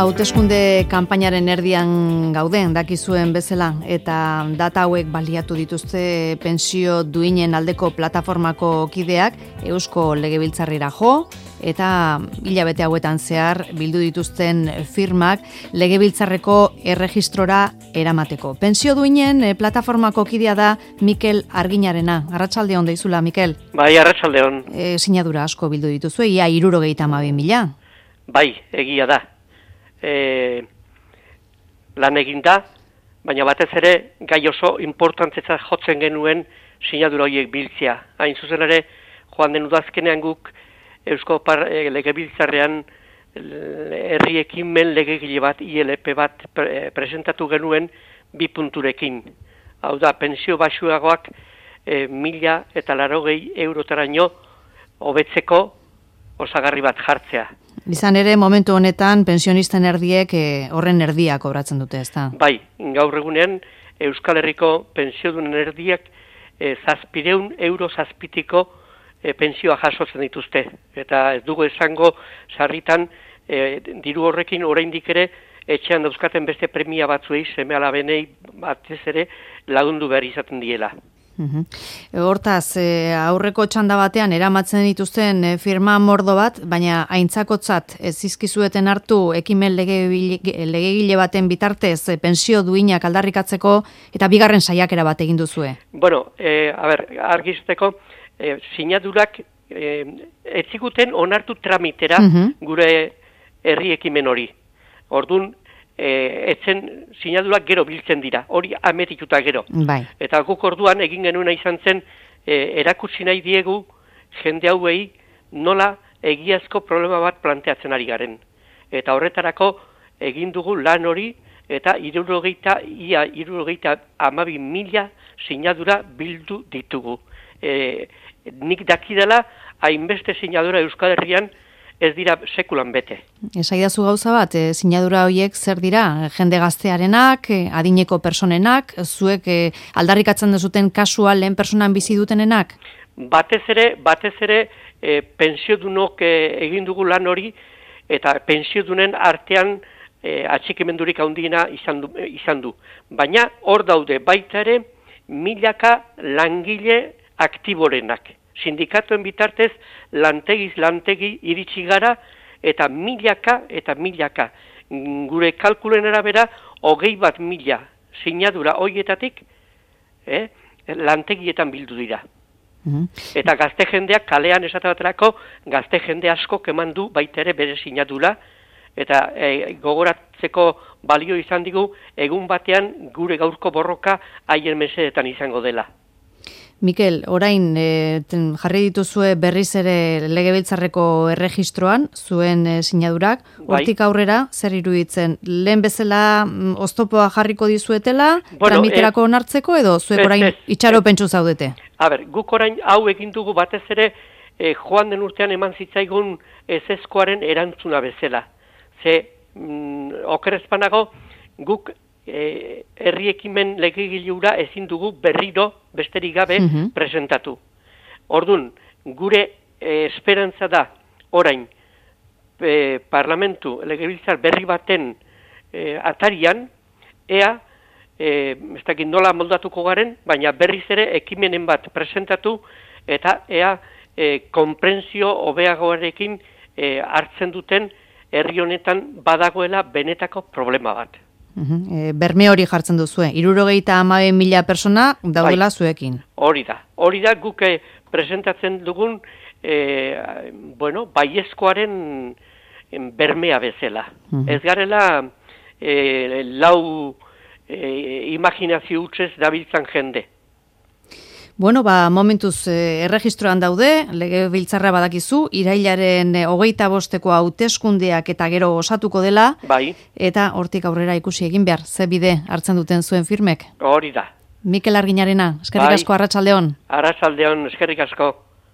Hauteskunde kanpainaren erdian gauden dakizuen bezala eta data hauek baliatu dituzte pentsio duinen aldeko plataformako kideak Eusko Legebiltzarrera jo eta hilabete hauetan zehar bildu dituzten firmak Legebiltzarreko erregistrora eramateko. Pentsio duinen plataformako kidea da Mikel Arginarena. Arratsaldeon deizula, Mikel. Bai, arratsaldeon. Sinadura asko bildu dituzue, ia 72.000. Bai, egia da. Lan egin da, baina batez ere gai oso importantzetzat jotzen genuen sinadura horiek biltzea. Hain zuzen ere, joan den udazkenean guk Eusko Legebiltzarrean herri ekimen legegile bat, ILP bat presentatu genuen 2 punturekin. Hau da, pentsio baxuagoak 1.080 eurotaraino hobetzeko osagarri bat jartzea. Izan ere, momentu honetan, pensionisten erdiek horren erdia kobratzen dute, ezta? Bai, gaur egunean, Euskal Herriko pentsiodunen erdiak 700 euro zazpitiko pentsioa jasotzen dituzte. Eta ez dugu esango sarritan diru horrekin oraindik ere etxean dauzkaten beste premia batzuei, seme-alabenei batez ere lagundu behar izaten diela. Hortaz, aurreko txanda batean eramatzen dituzten firma mordo bat, baina aintzakotzat ez zizkizueten hartu ekimen legegile baten bitartez pentsio duinak aldarrikatzeko eta bigarren saiakera bat egin duzue. Bueno, argizteko, sinadurak ez ziguten onartu tramitera gure herri ekimen hori. Orduan, etzen sinadurak gero biltzen dira, hori ametituta gero. Bai. Eta guk orduan egin genuena izan zen, erakutsi nahi diegu jende hauei nola egiazko problema bat planteatzen ari garen. Eta horretarako egin dugu lan hori eta 72.000 sinadura bildu ditugu. Nik dakidala, hainbeste sinadura Euskal Herrian ez dira sekulan bete. Esaidazu gauza bat, sinadura horiek zer dira? Jende gaztearenak, adineko personenak, zuek aldarrikatzen duzuten kasua lehen personan bizi dutenenak? Batez ere pentsiodunok egin dugu lan hori eta pentsiodunen artean atxikimendurik handiena izan du. Baina hor daude baita ere milaka langile aktiborenak. Sindikatuen bitartez lantegiz lantegi iritsi gara eta milaka. Gure kalkulen arabera 21.000 sinadura horietatik lantegietan bildu dira. Eta gazte jendeak kalean esate baterako gazte jende asko eman du baita ere bere sinadura eta gogoratzeko balio izan digu egun batean gure gaurko borroka haien mesedetan izango dela. Mikel, orain jarri dituzue berriz ere Legebiltzarreko erregistroan zuen sinadurak, hortik aurrera zer iruditzen? Lehen bezala oztopoa jarriko dizuetela, tramiterako onartzeko edo zuek orain itxaropentsu zaudete? Guk orain hau egin dugu batez ere joan den urtean eman zitzaigun ezezkoaren erantzuna bezala. Okerrezpanago guk herri ekimen legegilura ezin dugu berriro besterik gabe presentatu. Orduan, gure esperantza da orain parlamentu legebiltzar berri baten atarian ez dakit nola moldatuko garen, baina berriz ere ekimenen bat presentatu eta konprentsio hobeagoarekin hartzen duten herri honetan badagoela benetako problema bat. Berme hori jartzen duzue, 72.000 persona daudela zuekin. Hori da guk presentatzen dugun baiezkoaren bermea bezala. Ez garela lau imaginazio hutsez dabiltzan jende. Bueno, momentuz erregistroan daude, Legebiltzarra badakizu, irailaren 25-eko hauteskundeak eta gero osatuko dela, bai. Eta hortik aurrera ikusi egin behar, ze bide hartzen duten zuen firmek. Hori da. Mikel Arginarena, eskerrik asko, arratsaldeon. Arratsaldeon, eskerrik asko.